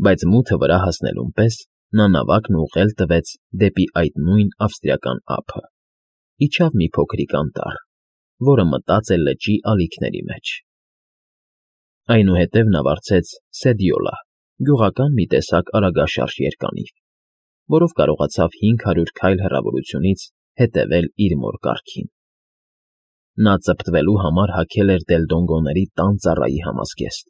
բայց մութը վրա հասնելուն պես նա նավակն ուղղել տվեց դեպի այդ նույն ավստրիական ափը, իջավ մի փոքրիկ անտառ, որը մտած է լճի ալիքների մեջ։ Այնուհետև նա վարձեց Սեդյոլա, գյուղական մի տեսակ արագաշարժ երկանիվ, որով կարողացավ 500 քայլ հեռավորությունից հետևել իր մոր կառքին։ Նա ծպտվելու համար հագել էր դելդոնգոների տան ծառայի համազգեստ,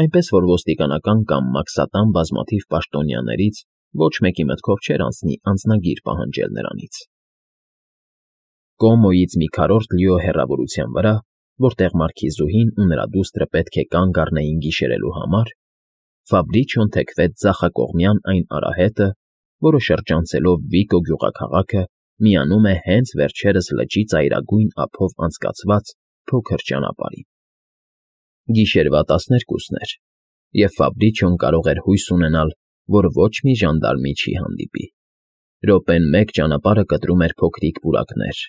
այնպես որ ոստիկանական կամ մաքսատան բազմաթիվ պաշտոնյաներից ոչ մեկի մտքով չէր անցնի անձնագիր պահանջել նրանից։ Կոմոյից մի քառորդ լիո հեռավորության վրա, որտեղ մարքիզուհին ու նրա դուստրը պետք է կանգ առնեին գիշերելու համար, Ֆաբրիչիոն թեքվեց ձախակողմյան այն արահետը, որը շրջանցելով Վիկո գյուղաքաղաքը միանում է հենց վերջերս լճի ծայրագույն ափով անցկացված փոքր ճանապարհին։ Գիշերվա 12-ն էր, և Ֆաբրիչիոն կարող էր հույս ունենալ, որ ոչ մի ժանդարմի չի հանդիպի։ Րոպեն մեկ ճանապարհը կտրում էր փոքրիկ պուրակներ,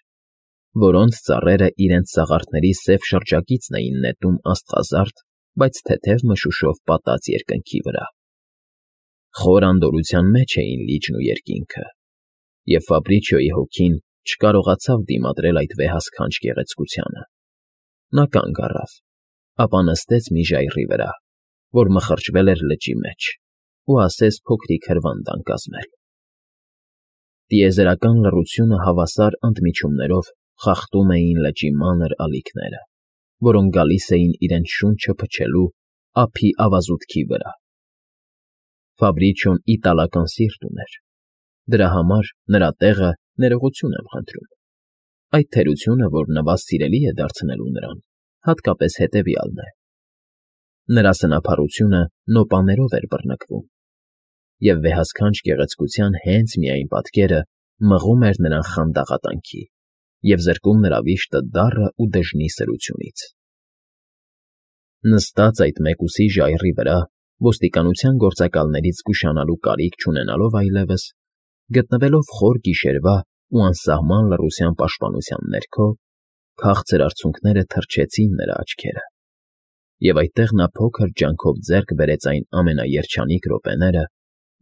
որոնց ծառերը իրենց սաղարթների սև շրջակիցն էին նետում աստղազարդ, բայց թեթև մշուշով պատած երկնքի վրա։ Խոր անդորրության մեջ էին լիճն ու երկինքը, և Ֆաբրիչիոյի հոգին չկարողացավ դիմադրել այդ վեհասքանչ գեղեցկությանը։ Նա կանգ առավ, ապա նստեց մի ժայռի վրա, որ մխրճվել էր լճի մեջ, ու ասես փոքրիկ հրվանդ ankazmել։ Տիեզերական լռությունը հավասար ընդմիջումներով խախտում էին լճի մանր ալիքները, որոնք գալիս էին իրենց շունչը փչելու ափի ավազուտքի վրա։ Ֆաբրիչիոն իտալական սիրտ ուներ, դրա համար նրա տեղը ներողություն եմ խնդրում։ Այդ թերությունը, որ նվազ սիրելի է դարձնելու նրան, հատկապես հետևյալն է. նրա սնափառությունը նոպաներով էր բռնկվում, և վեհասքանչ գեղեցկության հենց միայն պատկերը մղում էր նրան խանդաղատանքի և զրկում նրա վիշտը դառը ու դժնի սրությունից։ Նստած այդ մեկուսի ժայռի վրա, ոստիկանության գործակալներից զգուշանալու կարիք չունենալով այլևս, գտնվելով խոր գիշերվա ու անսահման լռության պաշտպանության ներքո, քաղցր արցունքները թրջեցին նրա աչքերը, և այդտեղ նա փոքր ջանքով ձեռք բերեց այն ամենաերջանիկ րոպեները,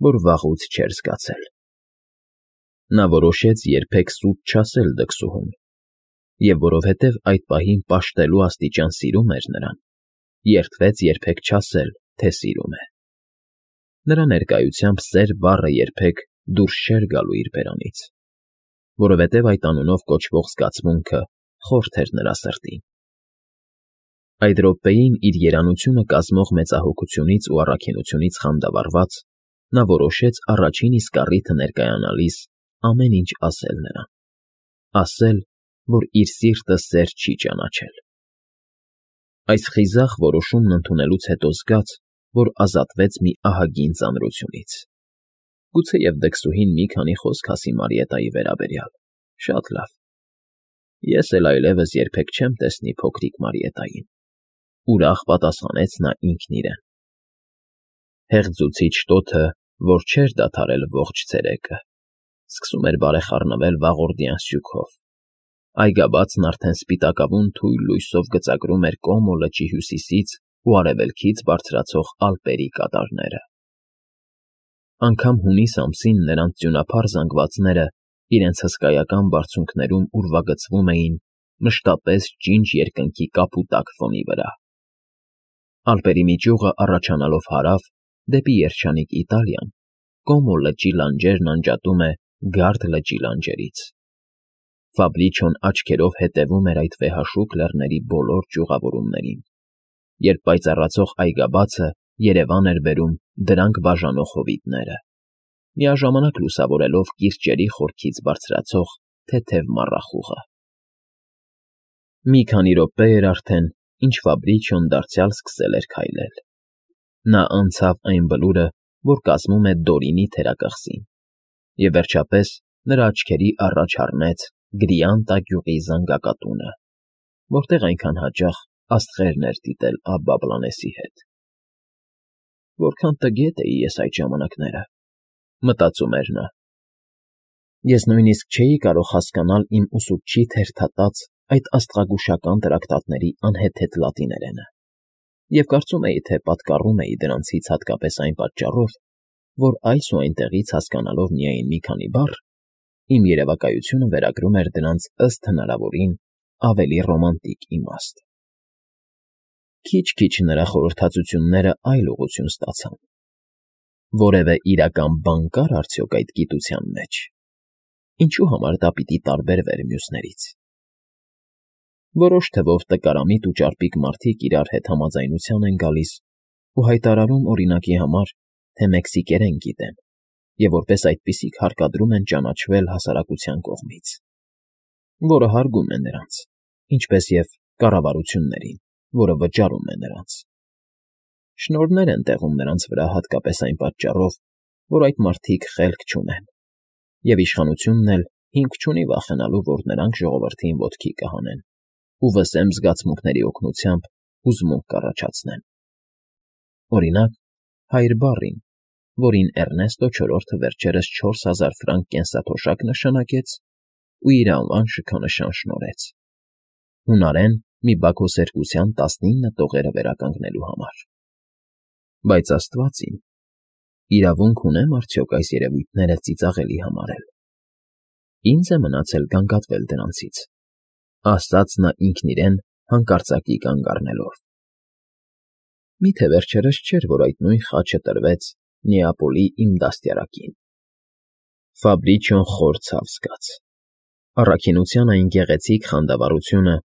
որ վաղուց չէր զգացել։ Նա որոշեց երբեք սուտ չասել դքսուհուն, և որովհետև այդ պահին պաշտելու աստիճան սիրում էր նրան, երդվեց երբեք չասել, թե սիրում է։ Նրա ներկայությամբ սեր բառը երբեք դուրս չէր գալու իր բերանից, որովհետև այդ անունով կոչվող զգացմունքը խորթ էր նրա սրտին։ Այդ րոպեին իր երանությունը կազմող մեծահոգությունից ու առաքինությունից խանդավառված, նա որոշեց առաջին իսկ առիթը ներկայանալիս ամեն ինչ ասել նրան, ասել, որ իր սիրտը սեր չի ճանաչել։ Այս խիզախ որոշումն ընդունելուց հետո զգաց, որ ազատվեց մի ահագին ծանրությունից։ Գուցեև դքսուհին մի քանի խոսք ասի Մարիետայի վերաբերյալ, շատ լավ։ Ես էլ այլևս երբեք չեմ տեսնի փոքրիկ Մարիետային, ուրախ պատասխանեց նա ինքն իրեն։ Հեղձուցիչ տոթը, որ չէր դադարել ողջ ցերեկը, սկսում էր բարեխառնվել վաղորդյան սյուքով։ Այգաբացն արդեն սպիտակավուն թույլ լույսով գծագրում էր Կոմո լճի հյուսիսից ու արևելքից բարձրացող Ալպերի կատարները։ Անգամ հունիս ամսին նրանց ձյունափառ զանգվածները իրենց հսկայական բարձունքներում ուրվագծվում էին մշտապես ջինջ երկնքի կապուտակ ֆոնի վրա։ Ալպերի մի ճյուղը առաջանալով հարավ, դեպի երջանիկ Իտալիան, Կոմո լճի լանջերն անջատում է Գարդ լճի լանջերից։ Ֆաբրիչիոն աչքերով հետևում էր այդ վեհաշուկ լեռների բոլոր ճյուղավորումներին, երբ պայծառացող այգաբացը երևան էր բերում դրանք բաժանող հովիտները, միաժամանակ լուսավորելով կիրճերի խորքից բարձրացող թեթև մառախուղը։ Մի քանի րոպե էր արդեն, ինչ Ֆաբրիչիոն դարձյալ սկսել էր քայլել։ Նա անցավ այն բլուրը, որ կազմում է Դորինի թերակղզին, և վերջապես նրա աչքերի առաջ առնեց Գրիանտա գյուղի զանգակատունը, որտեղ այնքան հաճախ աստղերն էր դիտել Աբբա Բլանեսի հետ։ Որքան տգետ էի ես այդ ժամանակները, մտածում էր նա։ Ես նույնիսկ չէի կարող հասկանալ իմ ուսուցչի թերթատած այդ աստղագուշական տրակտատների անհեթեթ լատիներենը։ և կարծում էի, թե պատկառում էի դրանցից հատկապես այն պատճառով, որ այս ու այնտեղից հասկանալով միայն մի քանի բառ, իմ երևակայությունը վերագրում էր դրանց ըստ հնարավորին ավելի ռոմանտիկ իմաստ։ Քիչ-քիչ նրա խորհրդածությունները այլ ուղղություն ստացան. որևէ իրական բան կար արդյոք այդ գիտության մեջ, ինչու համար դա պիտի տարբերվեր մյուսներից։ Որոշ թվով տկարամիտ ու ճարպիկ մարդիկ իրար հետ համաձայնության են գալիս ու հայտարարում օրինակի համար, թե մեքսիկերեն գիտեն, և որպես այդպիսիք հարկադրում են ճանաչվել հասարակության կողմից, որը հարգում է նրանց, ինչպես և կառավարություններին, որը վճարում է նրանց։ Շնորհներ են տեղում նրանց վրա հատկապես այն պատճառով, որ այդ մարդիկ խելք չունեն, և իշխանությունն էլ հիմք չունի վախենալու, որ նրանք ժողովրդին ոտքի կհանեն ու վսեմ զգացմունքների օգնությամբ հուզմունք կառաջացնեն։ Օրինակ, հայր բառին, որին Էռնեստո չորրորդը վերջերս 4000 ֆրանկ կենսաթոշակ նշանակեց ու իր անվան շքանշան շնորհեց. հունարեն մի բաքոսերկության 19 տողերը վերականգնելու համար։ Բայց Աստված իմ, իրավունք ունեմ արդյոք այս երևույթները ծիծաղելի համարել։ Ինձ է մնացել գանգատվել դրանցից, ասաց նա ինքն իրեն հանկարծակի կանգ առնելով։ Միթե վերջերս չէր, որ այդ նույն խաչը տրվեց Նեապոլի իմ դաստիարակին։ Ֆաբրիչիոն խոր ցավ զգաց։ Առաքինության այն գեղեցիկ խանդավառությունը,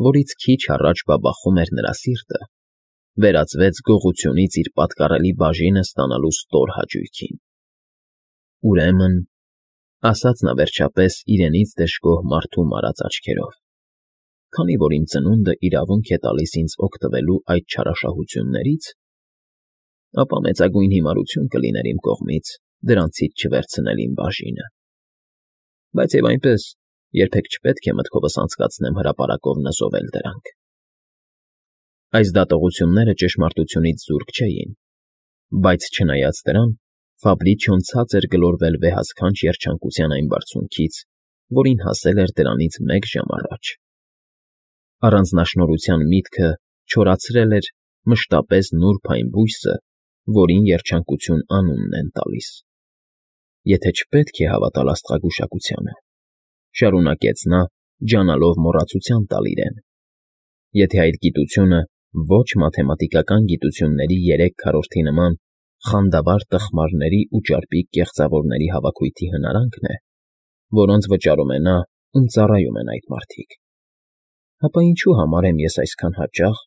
որից քիչ առաջ բաբախում էր նրա սիրտը, վերածվեց գողությունից իր պատկառելի բաժինը ստանալու ստոր հաճույքին։ Ուրեմն, ասաց նա վերջապես իրենից դժգոհ մարդու մարած աչքերով, քանի որ իմ ծնունդը իրավունք է տալիս ինձ օգտվելու այդ չարաշահություններից, ապա մեծագույն հիմարություն կլիներ իմ կողմից դրանցից չվերցնել իմ բաժինը։ Բայց և այնպես, երբեք չպետք է մտքովս անցկացնեմ հրապարակով նզովել դրանք։ Այս դատողությունները ճշմարտությունից զուրկ չէին, բայց չնայած դրան, Ֆաբրիչիոն ցած էր գլորվել վեհասքանչ երջանկության այն բարձունքից, որին հասել էր դրանից մեկ ժամ առաջ։ Առանձնաշնորհության միտքը չորացրել էր մշտապես նուրբ այն բույսը, որին երջանկություն անունն են տալիս։ Եթե չպետք է հավատալ աստղագուշակությանը, շարունակեց նա, ջանալով մոռացության տալ իրեն, եթե այդ գիտությունը ոչ մաթեմատիկական գիտությունների 3/4 նման խանդավառ տխմարների ու ճարպիկ կեղծավորների հավաքույթի հնարանքն է, որոնց վճարում է նա, ում ծառայում են այդ մարդիկ, ապա ինչու համար եմ ես այսքան հաճախ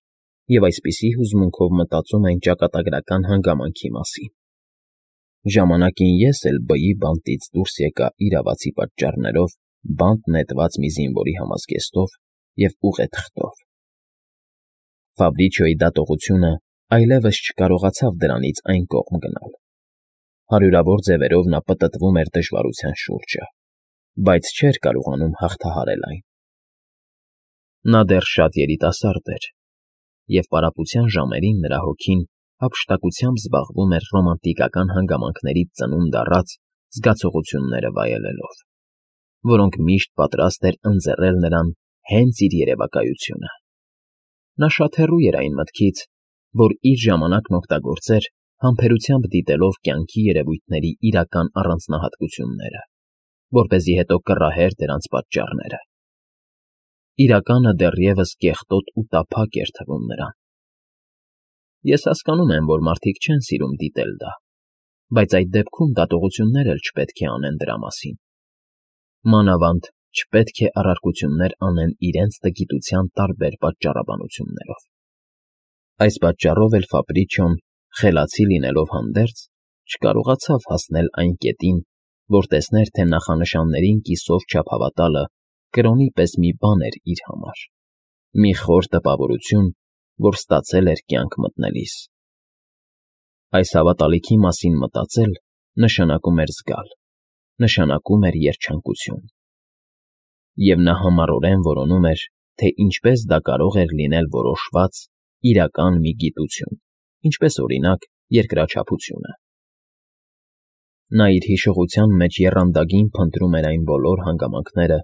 և այսպիսի հուզմունքով մտածում այն ճակատագրական հանգամանքի մասին։ Ժամանակին ես էլ բայի բանտից դուրս եկա իրավացի պատճառներով բանտ նետված մի զինվորի համազգեստով և ուղեթղթով։ Ֆաբրիչիոյի դատողությունը այլևս չկարողացավ դրանից այն կողմ գնալ։ Հարյուրավոր ձևերով նա պտտվում էր դժվարության շուրջը, բայց չէր կարողանում հաղթահարել այն։ Նա դեռ շատ երիտասարդ էր, և պարապության ժամերին նրա հոգին հափշտակությամբ զբաղվում էր ռոմանտիկական հանգամանքներից ծնունդ առած զգացողությունները վայելելով, որոնք միշտ պատրաստ էր ընձեռել նրան հենց իր երևակայությունը։ Նա շատ հեռու էր այն մտքից, որ իր ժամանակն օգտագործեր համբերությամբ դիտելով կյանքի երևույթների իրական առանձնահատկությունները, որպեսզի հետո կռահեր դրանց պատճառները։ Իրականը դեռևս կեղտոտ ու տափակ էր թվում նրան։ Ես հասկանում եմ, որ մարդիկ չեն սիրում դիտել դա, բայց այդ դեպքում դատողություններ էլ չպետք է անեն դրա մասին։ Մանավանդ չպետք է առարկություններ անեն իրենց տգիտության տարբեր պատճառաբանություններով։ Այս պատճառով էլ Ֆաբրիչիոն, խելացի լինելով հանդերձ, չկարողացավ հասնել այն կետին, որ տեսներ, թե նախանշաններին կիսով չափ հավատալը կրոնի պես մի բան էր իր համար, մի խոր տպավորություն, որ ստացել էր կյանք մտնելիս։ Այս հավատալիքի մասին մտածել նշանակում էր զգալ, նշանակում էր երջանկություն։ Եվ նա համառորեն որոնում էր, թե ինչպես դա կարող էր լինել որոշված, իրական մի գիտություն, ինչպես օրինակ երկրաչափությունը։ Նա իր հիշողության մեջ եռանդագին փնտրում էր այն բոլոր հանգամանքները,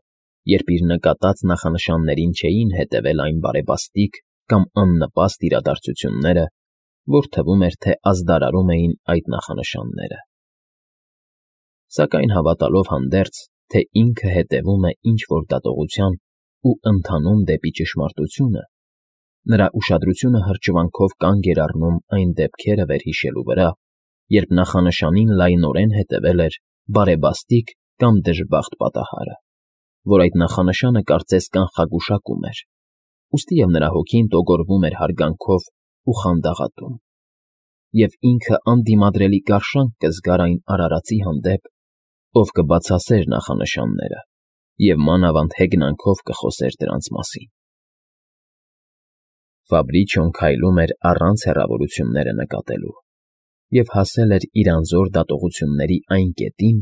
երբ իր նկատած նախանշաններին չէին հետևել այն բարեբաստիկ կամ աննպաստ իրադարձությունները, որ թվում էր, թե ազդարարում էին այդ նախանշանները։ Սակայն հավատալով հանդերձ, թե ինքը հետևում է ինչ-որ դատողության ու ընթանում դեպի ճշմարտությունը, նրա ուշադրությունը հրճվանքով կանգ էր առնում այն դեպքերը վերհիշելու վրա, երբ նախանշանին լայնորեն հետևել էր բարեբաստիկ կամ դժբախտ պատահարը, որ այդ նախանշանը կարծես կանխագուշակում էր, ուստի և նրա հոգին տոգորվում էր հարգանքով ու խանդաղատում, և ինքը անդիմադրելի կարշանք կզգար այն արարածի հանդեպ, ով կբացասեր նախանշանները և մանավանդ հեգնանքով կխոսեր դրանց մասին։ Ֆաբրիչոն քայլում էր առանց հեռավորությունները նկատելու և հասել էր իր անզոր դատողությունների այն կետին,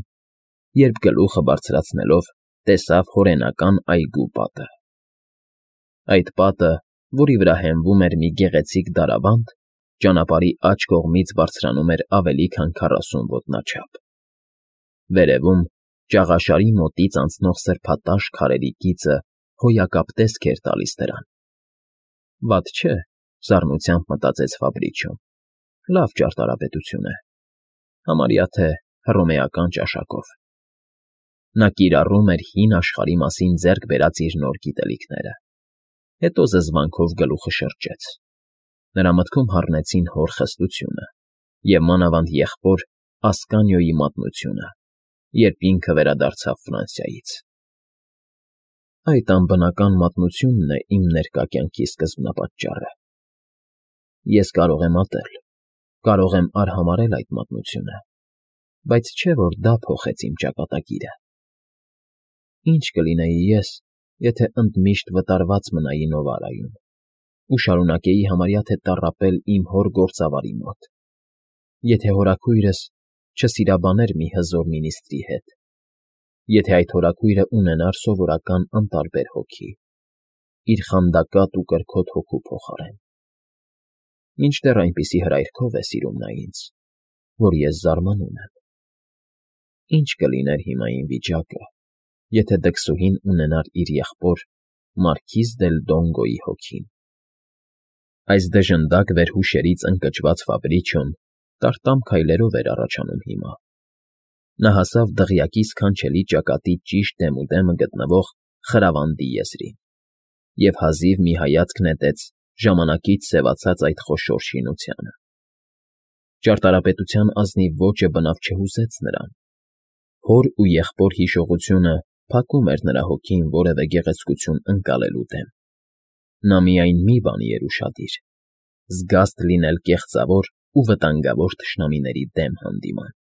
երբ գլուխը բարձրացնելով տեսավ հորենական այգու պատը։ Այդ պատը, որի վրա հենվում էր մի գեղեցիկ դարաբանդ, ճանապարհի աջ կողմից բարձրանում էր ավելի քան 40 ոտնաչափ։ Վերևում ճաղաշարի մոտից անցնող սրբատաշ քարերի գիծը հոյակապ տեսք էր տալիս դրան։ «Վատ չէ,֊ սառնությամբ մտածեց Ֆաբրիչոն,֊ լավ ճարտարապետություն է, համարյա թե հռոմեական ճաշակով»։ Նա կիրառում էր հին աշխարհի մասին ձեռք բերած իր նոր գիտելիքները, հետո զզվանքով գլուխը շրջեց։ Նրա մտքում հառնեցին հոր խստությունը և մանավանդ եղբոր Ասկանիոյի մատնությունը, երբ ինքը վերադարձավ Ֆրանսիայից։ «Այդ անբնական մատնությունն է իմ ներկա կյանքի սկզբնապատճառը։ Ես կարող եմ ատել, կարող եմ արհամարհել այդ մատնությունը, բայց չէ՞ որ դա փոխեց իմ ճակատագիրը։ Ինչ կլինեի ես, եթե ընդմիշտ վտարված մնայի Նովարայում ու շարունակեի համարյա թե տառապել իմ հոր գործավարի մոտ, եթե հորաքույրս չսիրաբաներ մի հզոր մինիստրի հետ, եթե այդ հորաքույրը ունենար սովորական անտարբեր հոգի, իր խանդակատ ու կրքոտ հոգու փոխարեն։ Մինչդեռ այնպիսի հրայրքով է սիրում նա ինձ, որ ես զարմանում եմ։ Ինչ կլիներ հիմա իմ վիճակը, եթե դքսուհին ունենար իր եղբոր Մարքիզ դել Դոնգոյի հոգին»։ Այս դժնդակ վերհուշերից ընկճված Ֆաբրիչոն տարտամ քայլերով էր առաջանում հիմա։ Նա հասավ դղյակի սքանչելի ճակատի ճիշտ դեմուդեմը գտնվող խրավանդի եզրին և հազիվ մի հայացք նետեց ժամանակից սևացած այդ խոշոր շինությանը։ Ճարտարապետության ազնիվ ոճը բնավ չհուզեց նրան։ Հոր ու եղբոր հիշողությունը փակում էր նրա հոգին որևէ գեղեցկություն ընկալելու դեմ։ Նա միայն մի բանի էր ուշադիր՝ զգաստ լինել կեղծավոր ու վտանգավոր թշնամիների դեմ հանդիման։